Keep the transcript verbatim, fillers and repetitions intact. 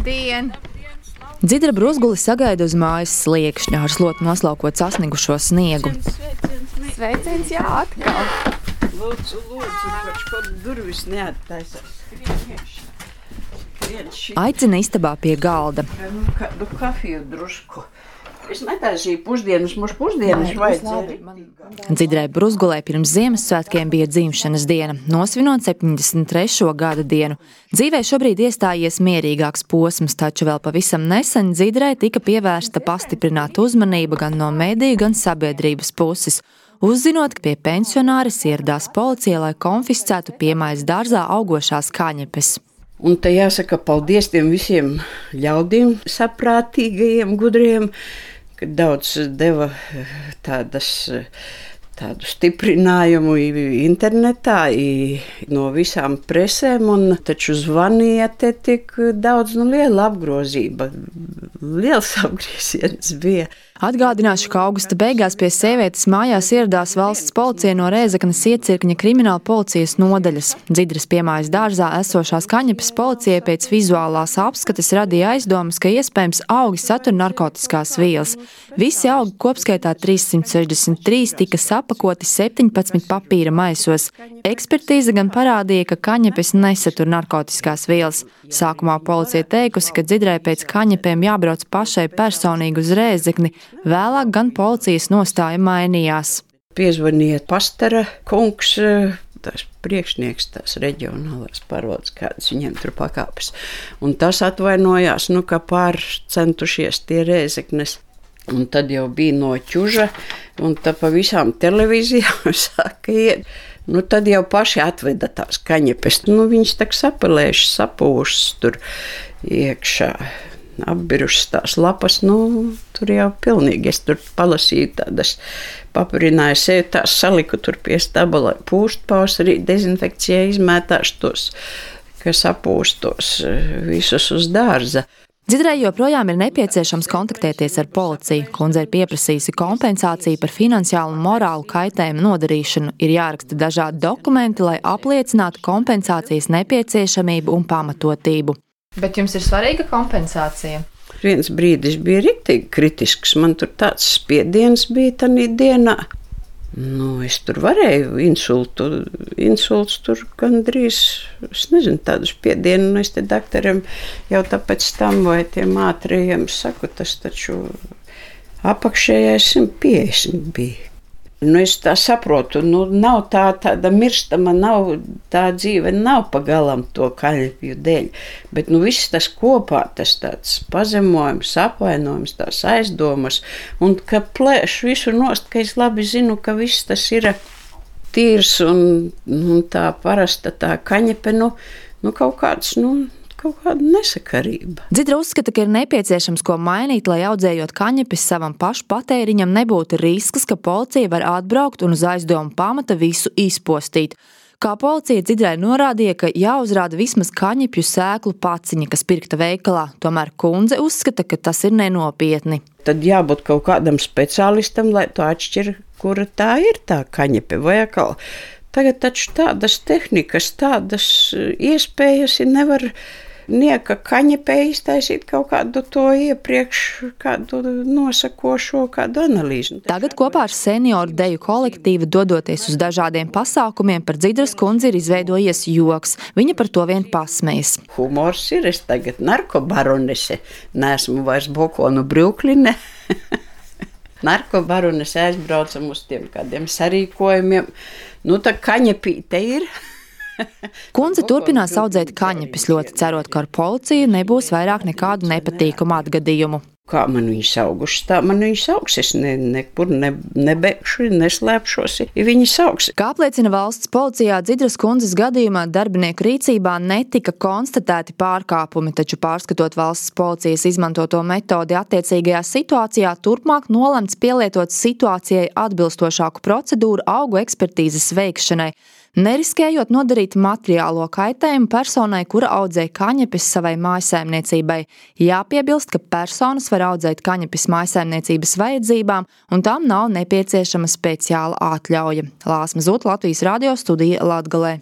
Labdien! Dzidra Brūzguli sagaida uz mājas sliekšņa ar slotu noslaukot sasniegušo sniegu. Sveiciens, jā, atkal! Lūdzu, lūdzu, kaut kādu durvis neattaisās. Aicina istabā pie galda. Nu, kādu kafiju drusku. Es netaisīju pusdienas, mums pusdienas vajadzēja. Dzidrai Brūzgulei pirms Ziemassvētkiem bija dzimšanas diena, nosvinot septiņdesmit trešo gada dienu. Dzīvē šobrīd iestājies mierīgāks posms, taču vēl pavisam nesen Dzidrai tika pievērsta pastiprināta uzmanība gan no mediju, gan sabiedrības puses. Uzzinot, ka pie pensionāres ieradās policija, lai konfiscētu piemājas dārzā augošās kaņepes. Un te jāsaka paldies tiem visiem ļaudīm, saprātīgajiem, gudriem, ka daudz deva tādas, tādu stiprinājumu internetā no visām presēm, un taču zvanīja te tik daudz, nu, liela apgrozība, liels apgrieziens bija. Atgādināšu, ka augusta beigās pie sievietes mājās ieradās valsts policija no Rēzeknes Iecirkņa krimināla policijas nodaļas. Dzidras piemājas dārzā esošās kaņepes policijai pēc vizuālās apskates radīja aizdomas, ka iespējams augi satur narkotiskās vielas. Visi augi kopskaitā trīssimt sešdesmit trīs tika sapakoti septiņpadsmit papīra maisos. Ekspertīze gan parādīja, ka kaņepes nesatur narkotiskās vielas. Sākumā policija teikusi, ka Dzidrai pēc kaņepēm jābrauc pašai personīgi uz Rēzekni, vēlāk gan policijas nostāja mainījās. Piezvanīja pastara kungs, tās priekšnieks, tās reģionālās pārvaldes, kādas viņiem tur pakāpes. Un tas atvainojās, nu, ka pārcentušies tie Rēzeknes. Un tad jau bija no ķuža, un tā pa visām televīzijām sāka iet. Nu, tad jau paši atveda tās kaņepes. Nu, viņas tak sapelējušas, sapūšas tur iekšā, apbirušas tās lapas. Nu, tur jau pilnīgi. Es tur palasīju tādas, papurināju sevi, tās saliku tur pie staba, lai pūst pavasarī, dezinfekcijai izmētāšu tos, kas apūstos visus uz dārza. Dzidrai joprojām ir nepieciešams kontaktēties ar policiju. Kundze ir pieprasījusi kompensāciju par finansiālu un morālu kaitējumu nodarīšanu. Ir jāraksta dažādi dokumenti, lai apliecinātu kompensācijas nepieciešamību un pamatotību. Bet jums ir svarīga kompensācija? Viens brīdis bija riktīgi kritisks. Man tur tāds spiediens bija tanī dienā. Nu, es tur varēju insultu, insults tur gandrīz, es nezinu, tādu spiedienu, un es te daktariem jau tāpēc tam vai tiem ātrajiem saku, tas taču apakšējais simt piecdesmit bija. Nu, es tā saprotu, nu, nav tā tāda mirstama, nav, tā dzīve nav pagalam to kaņepju dēļ, bet, nu, viss tas kopā, tas tāds pazemojums, apvainojums, tās aizdomas, un ka plēš visu nost, ka es labi zinu, ka viss tas ir tīrs, un, un tā parasta tā kaņepe, nu, nu kaut kāds, nu, kaut kāda nesakarība. Dzidra uzskata, ka ir nepieciešams ko mainīt, lai audzējot kaņepes savam pašu patēriņam nebūtu risks, ka policija var atbraukt un uz aizdomu pamata visu izpostīt. Kā policija Dzidrai norādīja, ka jāuzrāda vismaz kaņepju sēklu paciņa, kas pirkta veikalā. Tomēr kundze uzskata, ka tas ir nenopietni. Tad jābūt kaut kādam speciālistam, lai to atšķir, kura tā ir tā kaņepe vai atkal. Tagad taču tādas tehnikas, tādas iespējas ir nevar nieka kaņepē iztaisīt kaut kādu to iepriekš, kādu nosakošo, kādu analīzi. Tagad kopā ar senioru deju kolektīvu dodoties uz dažādiem pasākumiem par Dzidras kundzi ir izveidojies joks. Viņa par to vien pasmējas. Humors ir, es tagad narkobaronese, neesmu vairs Bokonu Brukline. Narkobaronese aizbraucam uz tiem kādiem sarīkojumiem. Nu, tā kaņepīte ir. Kundze turpinās audzēt kaņepes, ļoti cerot, ka ar policiju nebūs vairāk nekādu nepatīkamu atgadījumu. Kā man viņas augušas, tā man viņas augs. Es ne, nekur ne, nebeigšu, neslēpšos, ja viņas augs. Kā apliecina valsts policijā, Dzidras kundzes gadījumā darbinieku rīcībā netika konstatēti pārkāpumi, taču pārskatot valsts policijas izmantoto metodi attiecīgajā situācijā, turpmāk nolemts pielietot situācijai atbilstošāku procedūru augu ekspertīzes veikšanai, neriskējot nodarīt materiālo kaitējumu personai, kura audzē kaņepes savai mājsaimniecībai. Jāpiebilst, ka personas var audzēt kaņepes mājsaimniecības vajadzībām, un tām nav nepieciešama speciāla atļauja. Lāsma Zūta, Latvijas radio studija Latgalē.